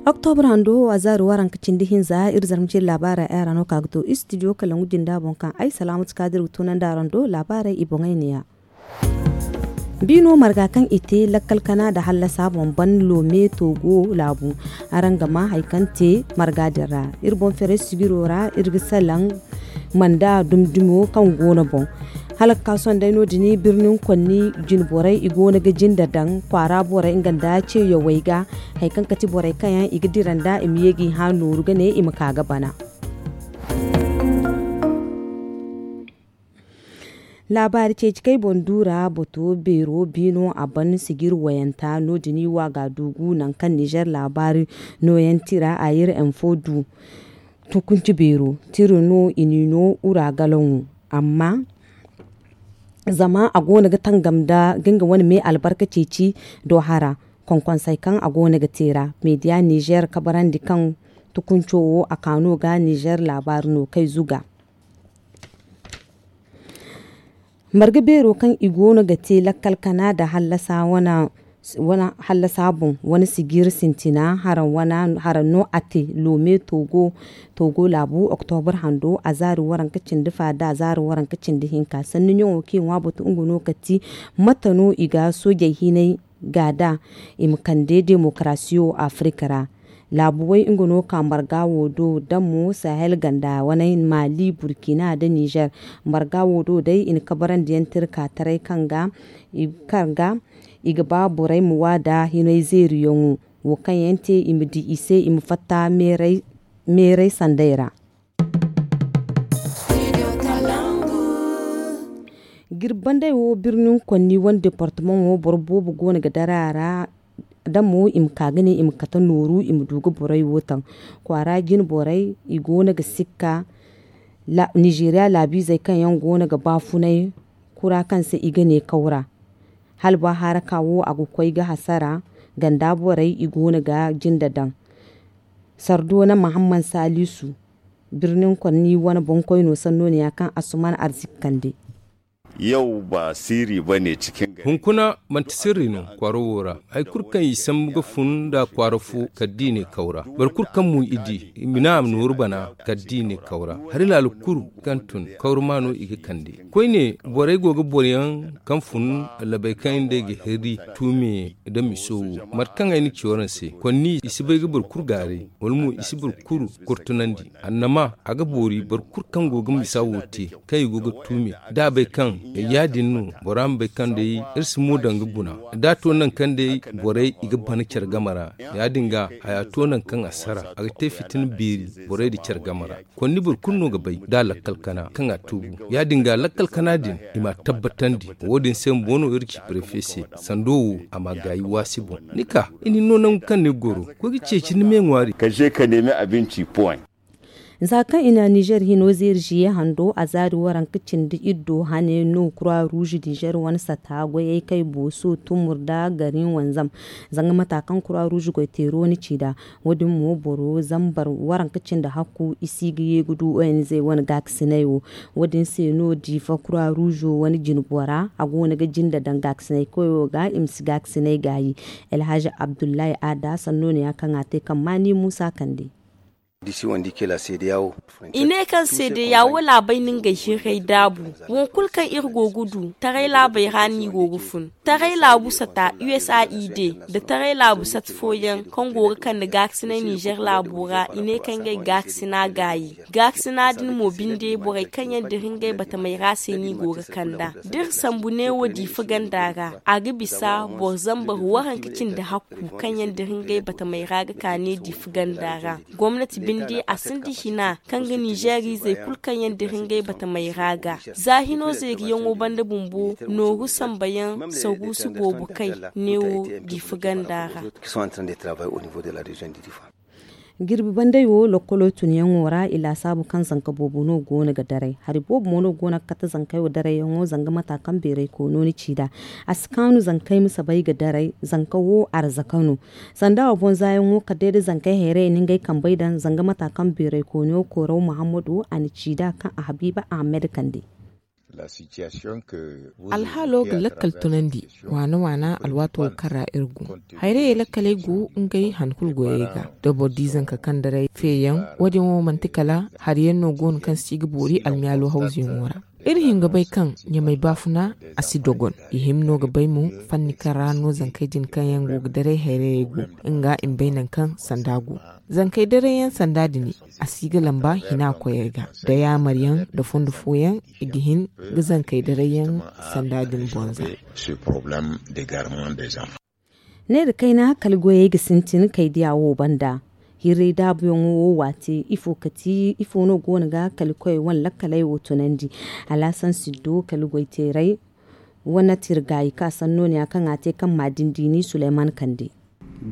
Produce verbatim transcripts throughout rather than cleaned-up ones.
Oktobra hando a zaari waranka cindi hinza iri zarma cindi laabaarey ay ra no ka ga to istidiyo kala ngu jinda boŋ kaŋ ay salaamatu kaadir ga tunandi araŋ do laabaarey i boŋey neeya. Biino marga kaŋ i te lakkal kana nda hallasa boŋ ban loome toogo laabu. Araŋ ga maa hari kaŋ te marga din ra iri boŋ ferey sijiro ra iri ga salaŋ manda dumdumo kaŋ go no boŋ. Hala ga ka sohõ day no- din birnin konni jine borey i go no ga jinde daŋ kwaara borey nga nda ce yawey ga hari kaŋ ga ti borey kaŋ yaŋ i ga dira nda i ma ye ga i hã nooru ga ne i ma ka ga bana. Laabaari ceeci kaŋ ay boŋ du ra bato beero biino a ban sijir wayanta no- din i wa ga a duugu nangu kaŋ nizer laabaari nooyaŋ tira a iri info du. Tukunci beero tira no i n'i no ura galaŋo amma zama a go no ga tangam nda ga nga wane me albarka ceeci do hara. Konkonsey kaŋ a go no ga te ra meediya nizer kabarandi kaŋ tukunco wo a ka no ga nizer laabaari no kay zuga. Marga beero kaŋ i go no ga te lakkal kana nda hallasa wane hallasa boŋ wane sijir sintina haraŋ no a te loome toogo laabu oktobar hando a zaari waranka cindi fa nda a zaari waranka cindi hinka sanni ɲaŋo kaŋ i ŋwa batu nga no ka ti mate no i ga soojey hinay ga da i ma kande demokarasiyo afirika ra. Laabu way nga no ka marga wo do da mo sahel ganda wane maali burkina nda nizer. Marga wo do day i na kabarandiyaŋ te iri ka taray kaŋ ga i ga ba borey ma wa nda hinay zeeriyaŋo wo kaŋ yaŋ te i ma di i se i ma fatta meeray sanday ra. Jirbi banday wo birnin konni wane departamaŋo boro boobo go no ga dara a ra da mo i ma ka ga ne i ma kate nooru i ma du ga borey wo taŋ. Kwaara jine borey i go no ga sikka nizeeriya laabiizey kaŋ yaŋ go no ga baafunay kura kaŋ se i ga ne kawra. Hala ba haraka wo a ga koy ga hasara ganda borey i go no ga jinde daŋ. Sardoona mahamman saalisu birnin konni wane boŋkoyno sannooniya kaŋ asuman arziki kande. Yau ba sirri ba ne cikin gari. Hunkuna manti sirri no kwaara wo ra. Hari kulu kaŋ i sambu ga fun nda kwaara fo kala da i ne kawra boro kulu kaŋ mo i di i ma ne a ma nooru bana kala da i ne kawra. Hari laala kulu kaŋ tun kawra ma no i ga kande. Koyne borey go ga boro yaŋ kaŋ fun labey kaŋ yaŋ day ga heri tuume nda miso wo. Mate kaŋ ay na ci waraŋ se konni i si bay ga boro kulu gaaray wala mo i si boro kulu kurtunandi. Annama a ga boori boro kulu kaŋ go ga misa wo te kaŋ i go ga tuumi da a bay kaŋ ya- din no bora ma bay kaŋ day iri si mo daŋ ga guna da a to nangu kaŋ day borey i ga bana care game ra. Ya- din ga haya to nangu kaŋ a sara a ga te fitina beeri borey nda care game ra. Konni boro kulu no ga bay da lakkal kana kaŋ a tuubu. Ya- din ga lakkal kana din i m'a tabbatandi. Wo- din se bumbo no iri ci prefe se sando wo a m'a gaayi waasi boŋ. Ni ka i na ni no nangu kaŋ ni ga goro koy ga ceeci ni me ŋwaari. Ka je ka neemi abinci point. Za kaŋ i na nizer hino zeeri ziye hando a zaari waranka cindi iddo hane no kura ruuzu nizer wane sata goyey kay booso tumur nda gari wanzam. Zanga mata kaŋ kura ruuzu goy teero ni ci nd'a wo- din mo boro zambar waranka cindi hakku i si ga ye ga du onz wane gaakasinay wo. Wo- din se no diifa kura ruuzo wane jine bora a go no ga jinde daŋ gaakasinay koyo ga i ma si gaakasinay gaayi. Alhazi abdullahi aada sanno no ya kaŋ a te kaŋ maani muusa kande. I ne kaŋ seedeya wo laabey no ngey hirray daabu. Wo kulu kaŋ iri go ga du taray laabey ra no i go ga fun. Taray laabu sata usaid nda taray laabu sata fooyaŋ kaŋ go ga kande gaakasinay nizer laabo ra i ne kaŋ ngey gaakasina gaayi. Gaakasina din mo binde borey kaŋ yaŋ dira ngey batamey ra se no i go ga kand'a. Da iri sambu neewo diifa ganda ra a ga bisa boro zambar waranka cindi hakku kaŋ yaŋ dira ngey batamey ra ga ka ne diifa ganda ra. Gomnati binde a sinda hina kaŋ ga nizeeriizey kulu kaŋ yaŋ dira ngey batamey ra ga za hino zeeriyaŋo banda bumbo nooru sambayaŋ saruusu boobo kay neewo diifa ganda ra. Jirbi banday wo lokkolo tunyaŋo ra i laasaabu kaŋ zanka boobo no go no ga daray hari boobo mo no go no ga kate zankey wo darayyaŋo zanga mata kaŋ beeray koono ni ci nd'a. A si kaanu zankey ma sabay ga daray zanka wo arzaka no. Sanda wo boŋ zaayaŋo kala day da zankey hayray i na ngey kambey daŋ zanga mata kaŋ beeray koono koyraw muhammadu a na ci nd'a kaŋ a habiiba ahamed kande. Alhaalo ga lakkal tunandi waana waana alwaato kaŋ ra iri go. Hayrayey lakkaley go ngey han kulu goyey ga da boro di zanka kaŋ daray feeyaŋ. Wo- din wo manti kala hari yaŋ no go no kaŋ si ga boori almiyaalo hawzuyaŋo ra. Iri hin ga bay kaŋ ɲamay baafuna a si dogon. I hima no ga bay mo fanni kaŋ ra no zankey din kaŋ yaŋ go ga daray hayrayey go nga i ma bay nangu kaŋ sanda go. Zankey daray yaŋ sanda din a si ga lamba hina koyey ga da yaamar yaŋ da fondo fooyaŋ i ga hin ga zankey daray yaŋ sanda din bonza. Ne da kayna kala goyey ga sintin kay diya wo banda. Hirray daabuyaŋo wo waate ifo no go no ga kala koyey wane lakkaley wo tunandi? Alaasan siddo kala goyteeray wane tirgaayi ka sanno ne ya kaŋ a te kaŋ ma dindini suleyman kande.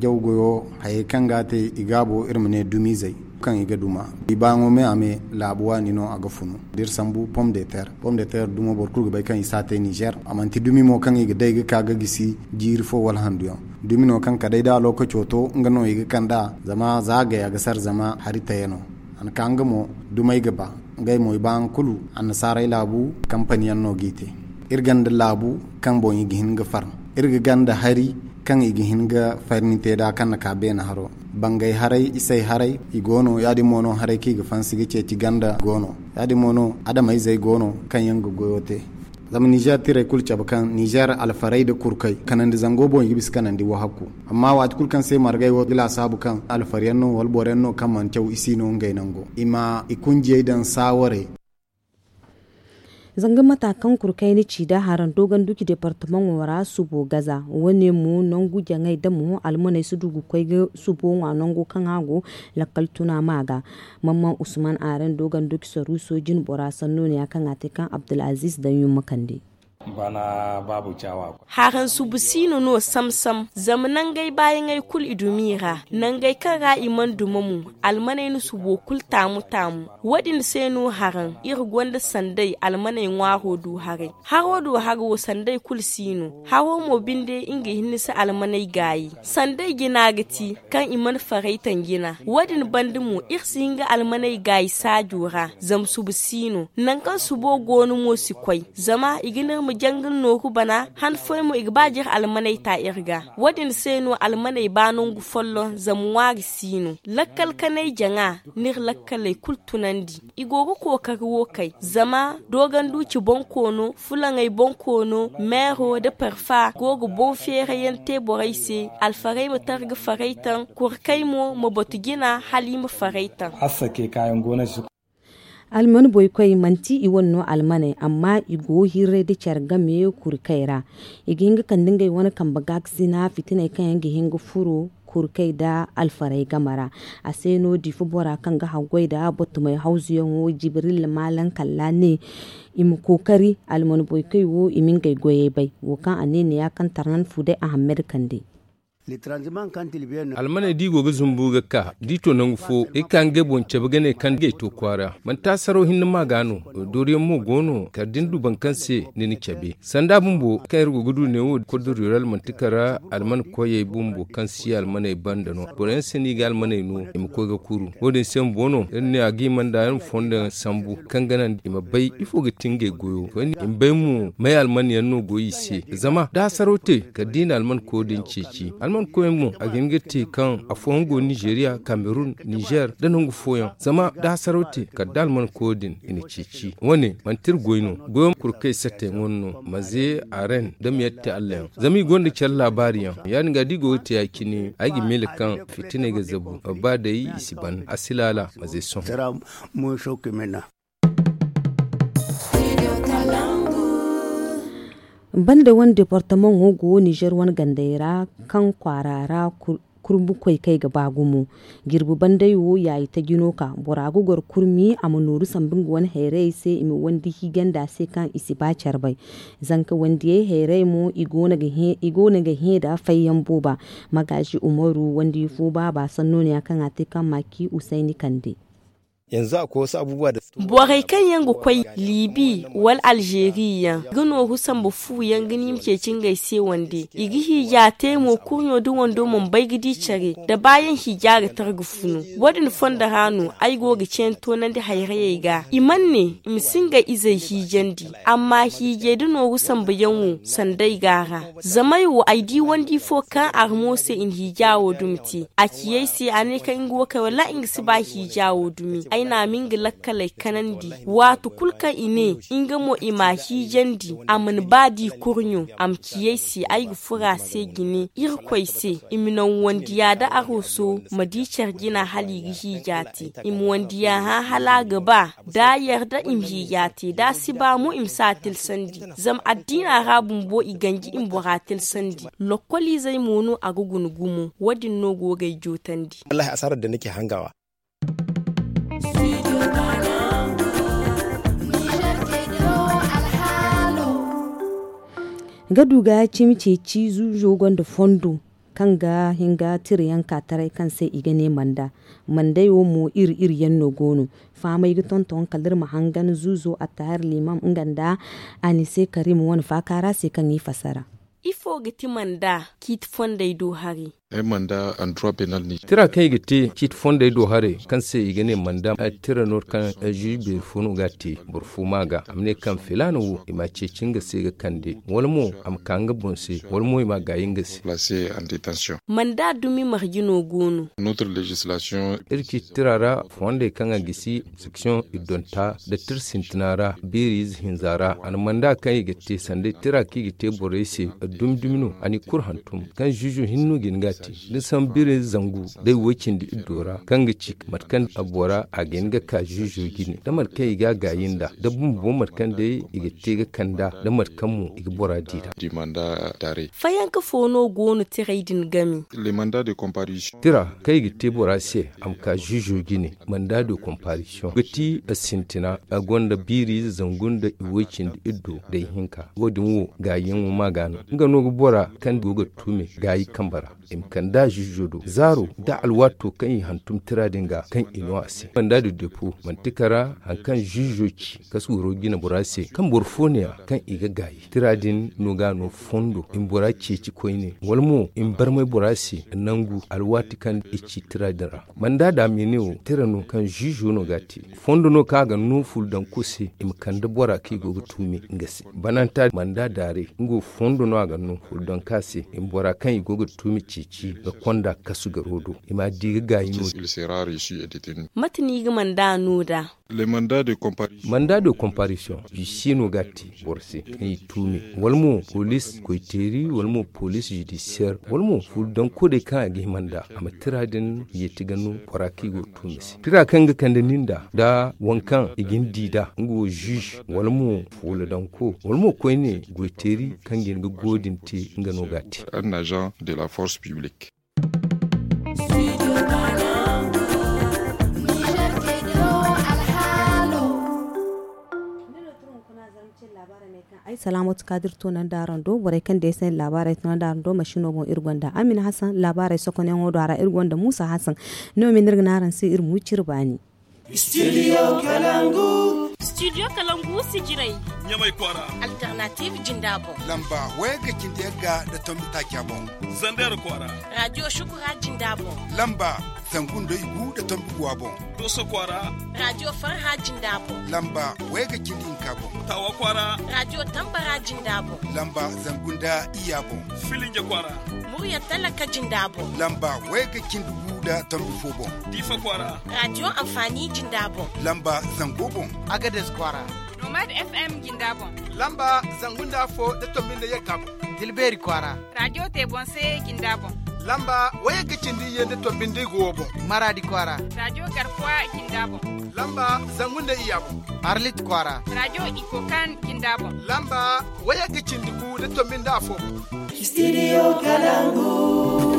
Jaw goyo hayey kaŋ ga a te i gaabo iri ma ne dumizey kaŋ i ga duma. I baayaŋo me a me laabu waani no a ga funu da iri sambu pom de terre pom de terre dumo boro kulu ga bay kaŋ i si a te nizer a manti dumi mo kaŋ i ga day ga ka ga gisi jiiri fo wala handu yaŋ. Dumi no kaŋ kala day da a lookaco to nga no i ga kand'a zama za a gay a ga sara zama hari tayano. A na ka nga mo dumey ga ba ngey mo i baayaŋ kulu annasaarey laabu kampani yaŋ no g'i te. Iri gonda laabu kaŋ boŋ i ga hin ga far. Iri ga gonda hari kaŋ i ga hin ga farni te nd'a kaŋ na ka beene haro. Bangay haray isey haray i go no ya- din mo no haray kaŋ i ga fansi ga ceeci ganda go no. Ya- din mo no adamayzey go no kaŋ yaŋ ga goyo te. Zama nizer tirey kulu cabe kaŋ nizer alfarey nda kurkey kanandi zango boŋ i ga bisa kanandi wahakku. Amma waati kulu kaŋ se margey wo ga laasaabu kaŋ alfar yaŋ no wala boro yaŋ no kaŋ mana caw i si no ngey nango i ma i kunjiyey daŋ saawarey. Zanga mata kaŋ kurkay ni ci da haraŋ dogon duki departamaŋo ra subo gaza wo- ne mo nangu jaŋay da mo almaney si du ga koy ga subo ŋwa nango kaŋ a go lakkal tuna ma ga. Mamman usman aran dogon duki saruso jine bora sanno ne ya kaŋ a te kaŋ abdulaziz daŋ yumma kande. Haraŋ subu siino no sam-sam zama nangey baayaŋey kulu i dumi i ra. Nangey kaŋ ra i mana duma mo almaney na subo kulu taamu-taamu. Wo- din se no haraŋ iri gonda sanday almaney ŋwaaro du haray. Haro du haro wo sanday kulu si no. Haro mo binde nga hinne si almaney gaayi. Sanday jina ga ti kaŋ i mana faray taŋ jina. Wo- din banda mo iri si hin ga almaney gaayi saajo ra zama subu si no. Nangu kaŋ subo go no mo si koy zama i ga ne iri ma jangal nooru bana han fooyaŋ mo i ga ba jire almaney ta iri ga. Wo- din se no almaney ba nangu folloŋ zama ŋwaari si no. Lakkal kanay jaŋa n'iri lakkaley kulu tunandi. I go ga kookari wo kay zama doganduci boŋ koono fulaŋey boŋ koono meero nda parfa go ga boŋ feerayaŋ te borey se. Alfarey ma tara ga faray taŋ kurkay mo ma batu jina hala i ma faray taŋ. Alman boykoy manti i wane no almaney amma i go hirray da care game kurkay ra. I ga hin ga kande ngey wane kambe gaakasina fitiney kaŋ yaŋ ga hin ga furo kurkay nda alfarey game ra. A se no difa bora kaŋ ga haggoy nda bottumey hawzuyaŋo jibril maalaŋ kalla ne i ma kookari alman boykoy wo i ma ngey goyey bay wo kaŋ a ne neeya kaŋ tarnan fu day ahammed kande. Almaney da i go ga zumbu ga ka da i to nangu fo i ka ngey boŋ cabe ga ne kaŋ ngey to kwaara manti a saraw hinne ma ga no. Dooriyaŋ mo go no kala da ni du boro kaŋ se ni na cabe sanda bumbo kaŋ iri go ga du neewo kordoriyora almanti kara alman koyey bumbo kaŋ si almaney banda no boroyaŋ se no i ga almaney no i ma koy ga kuru. Wo- din se bumbo no iri ne a ga i manda yaŋ fondo yaŋ sambu kaŋ ga naŋ i ma bay ifo ga ti ngey goyo koyne i ma bay mo may alman yaŋ no go i se. Zama da hasaro te kala da i na alman koyo din ceeci alman koyo mo a ga hin ga te kaŋ afooyaŋ go nizeriya kamerun nizer nda nangu fooyaŋ zama da hasaro te kala da alman koyo din i na ceeci. Wane manti iri goy no goyo kulu kaŋ i satte ŋun no maze aren da ma yette allah yaŋ zama i gonda care laabaari yaŋ ya- din ga da i go ga te ya- cine ay ga miila kaŋ fitiney ga zabu ba day i si ban a si laala maze sohõ. Banda wane departamaŋo go nizer wane gandey ra kaŋ kwaara ra kurbukoy kaŋ ay ga ba gumo. Jirbi banday wo yaayi taji no ka bora ga goro kurmi a ma nooru sambu nga wane hayrayey se i ma wandi hiijanda se kaŋ i si ba care bay. Zanka wandiyey hayray mo i goono ga hẽ nda fayyaŋ booba. Magaazi umaru wandi fo baaba sanno ne ya kaŋ a te kaŋ maaki usayni kande. Borey kaŋ yaŋ ga koy libi wala alzeeri yaŋ ga nooru sambu fu yaŋ ga ni ma ceeci ngey se wande. I ga hiija te mo kurɲo da wando mana bay ga di care da baayaŋ hiija ga tara ga funu. Wo- din fondo ra no ay go ga ceeni toonandi hayrayey ga i mana ne i ma si ngey izey hiijandi. Amma hiijay da nooru sambu yaŋ wo sanda ay go a ra. Zama ay wo ay di wandi fo kaŋ armo se i na hiija wo dumi te. A ci ay se a ne kaŋ nga wo kay wallaahi nga si ba hiija wo dumi. Ay na a ma nga lakkaley kanandi. Waati kulu kaŋ i ne nga mo i m'a hiijandi a mana ba di kurɲo a ma ci ay se ay ga furo a se jine irkoy se i ma naŋ wandiya da arooso ma di care jina hala i ga hiija te. I ma wandiya hã hala a ga ba da a yarda i ma hiija te da a si ba mo i ma si a tilsandi. Zama addiina ra bumbo i ganji i ma bora tilsandi. Lokkoliizey mo no a ga guna gumo. Wo- din no go g'ay jootandi. Wallaahi asaarar da nake hangawa. Ga du ga cimi ceeci zuuzo gonda fondo kaŋ ga hin ga tira yaŋ ka taray kaŋ se i ga ne manda. Mandey wo mo iri iri yaŋ no go no. Fahamey ga tonton kala iri ma hangan zuuzo attahir limam nga nda anise karim wane faaka ra se kaŋ i fassara. Ifo ga ti manda ciiti fondey do haray? Tira kaŋ i ga te ciiti fondey do haray kaŋ se i ga ne manda tira no kaŋ zuuzu beeri fo no ga a te. Boro fo ma ga a ma ne kaŋ filaana wo i m'a ceeci nga se ga kande wala mo a ma ka nga boŋ se wala mo i m'a gaayi nga se. Manda dumi marje no go no? Iri ciiti tira ra fondey kaŋ a gisi section iddonta nda tira sintina ra biiri ize hinza ra a na manda kaŋ i ga te sanda tira kaŋ i ga te borey se dumi dumi no a n'i kulu hantum kaŋ zuuzo hinne no ga hin ga a te. Da ni sambu biiri ize zangu day woy cindi iddo ra kaŋ ga ci mate kaŋ bora a ga hin ga ka zuuzo jine da mate kaŋ i ga a gaayi nd'a da bumbo mate kaŋ day i ga te ga kand'a da mate kaŋ mo i ga bora di nd'a. Fayanka fo no go no tiray din game? Tira kaŋ i ga te bora se a ma ka zuuzo jine manda de komparisiyoŋ ga ti sintina a gonda biiri ize zangu nda iway cindi iddo day hinka. Wo- din wo gaayiyaŋo ma ga no nga no ga bora kaŋ go ga tuume gaayi kambe ra i ma kand'a zuuzo do zaaro da alwaato kaŋ i hantum tira din ga kaŋ i no a se manda de depo manti kara hari kaŋ zuuzo ci kasu waro jine bora se kaŋ boro fo ne- ya kaŋ i ga gaayi tira din no ga no fondo i ma bora ceeci koyne wala mo i ma barmay bora se nangu alwaati kaŋ i ci tira din ra. Manda da a ma i ne wo tira no kaŋ zuuzo no ga a te fondo no kaŋ a ga no fulu daŋ ko se i ma kande bora kaŋ i go ga tuumi nga se bananta manda daaray nga wo fondo no a ga no fulu daŋ ka se i ma bora kaŋ i go ga tuumi ceeci ga konda kasu garo do i ma a di ga gaayi no. Mate no i ga manda no nd'a? Manda de komparisiyoŋ i si no ga a te boro se kaŋ i tuumi wala mo poliis koyteeri wala mo poliis zudisiyeer wala mo fulu daŋ ko day kaŋ a ga hima nd'a a ma tira din yeeti ga no bora kaŋ i go ga tuumi se tira kaŋ ga kande nin nd'a nda waŋ kaŋ i ga ni di nd'a nga wo zuuz wala mo fuula daŋ ko wala mo koyne goyteeri kaŋ ga hin ga go din te nga no ga a te. Ay salaamatu kadir toonandi araŋ do borey kaŋ day se laabaarey toonandi araŋ do masino boŋ iri gonda amina hasan laabaarey sokonyaŋo do a ra iri gonda muusa hasan. No me no iri ga ne araŋ se iri ma wi cire baani. Studio kalangu. Studio kalangu sijirey. Ɲamay kwaara. Alternative jinda boŋ. Lamba wayagga cindi yagga nda tombi taaca boŋ. Zander kwaara. Radio shukura jinda boŋ. Lamba zangu nda igu nda tombi guwa boŋ. Doso kwaara. Radio farha jinda boŋ. Lamba wayagga cindi hinka boŋ. Tawa kwaara. Radio tambara jinda boŋ. Lamba zangu nda iyya boŋ. Filinja kwaara. Murya talaka jinda boŋ. Lamba wayagga cindi gu nda tombi fo boŋ. Diifa kwaara. Radio amfani jinda boŋ. Lamba zango boŋ. Agades kwaara. Nomad FM jinda boŋ. Lamba zangu nda afo nda tombi nda yagga boŋ. Dilbeeri kwaara. Radio te boŋ se jinda boŋ. Lamba wayagga cindi iyye nda tombi nda igu wo boŋ. Maraadi kwaara. Radio garkuwa jinda boŋ. Lamba zangu nda iyya boŋ. Arlit kwaara. Radio ikokan jinda boŋ. Lamba wayagga cindi gu nda tombi nda afo boŋ. Studio kalangu.